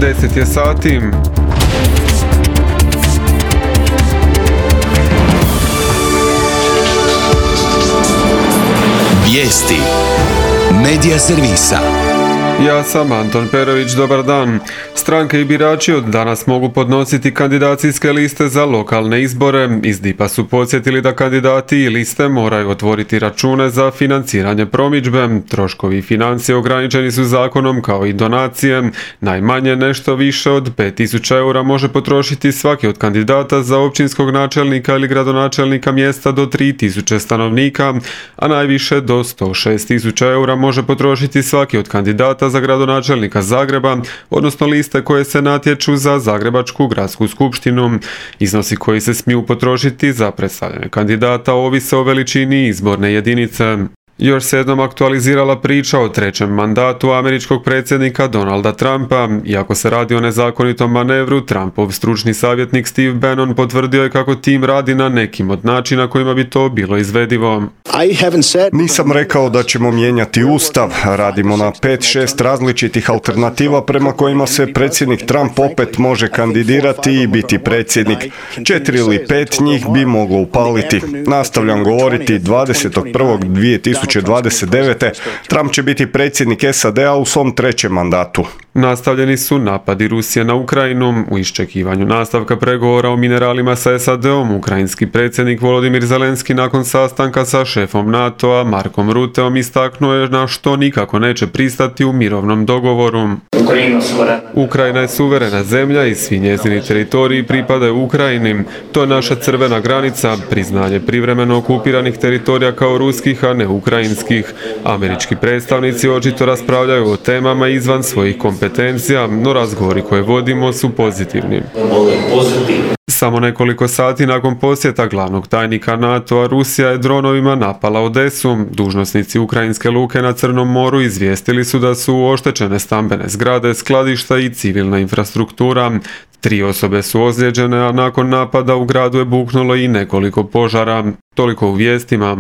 10 je sati. Vijesti Medija servisa. Ja sam Anton Perović, dobar dan. Stranke i birači od danas mogu podnositi kandidacijske liste za lokalne izbore. Iz DIP-a su podsjetili da kandidati i liste moraju otvoriti račune za financiranje promidžbe. Troškovi i financije ograničeni su zakonom kao i donacije. Najmanje nešto više od 5.000 eura može potrošiti svaki od kandidata za općinskog načelnika ili gradonačelnika mjesta do 3.000 stanovnika, a najviše do 106.000 eura može potrošiti svaki od kandidata za gradonačelnika Zagreba, odnosno liste koje se natječu za Zagrebačku gradsku skupštinu. Iznosi koji se smiju potrošiti za predstavljanje kandidata ovise o veličini izborne jedinice. Još se jednom aktualizirala priča o trećem mandatu američkog predsjednika Donalda Trumpa. Iako se radi o nezakonitom manevru, Trumpov stručni savjetnik Steve Bannon potvrdio je kako tim radi na nekim od načina kojima bi to bilo izvedivo. Nisam rekao da ćemo mijenjati ustav. Radimo na 5-6 različitih alternativa prema kojima se predsjednik Trump opet može kandidirati i biti predsjednik. 4 ili 5 njih bi moglo upaliti. Nastavljam govoriti 21.2029. Trump će biti predsjednik SAD-a u svom trećem mandatu. Nastavljeni su napadi Rusije na Ukrajinu. U iščekivanju nastavka pregovora o mineralima sa SAD-om, ukrajinski predsjednik Volodimir Zelenski nakon sastanka sa šefom NATO-a Markom Ruteom istaknuo je na što nikako neće pristati u mirovnom dogovoru. Ukrajina je suverena zemlja i svi njezini teritoriji pripadaju Ukrajini. To je naša crvena granica, priznanje privremeno okupiranih teritorija kao ruskih, a ne ukrajinskih. Američki predstavnici očito raspravljaju o temama izvan svojih kompetencija, no razgovori koje vodimo su pozitivni. Samo nekoliko sati nakon posjeta glavnog tajnika NATO-a, Rusija je dronovima napala Odesu. Dužnosnici ukrajinske luke na Crnom moru izvijestili su da su oštećene stambene zgrade, skladišta i civilna infrastruktura. 3 osobe su ozlijeđene, a nakon napada u gradu je buknulo i nekoliko požara. Toliko u vijestima.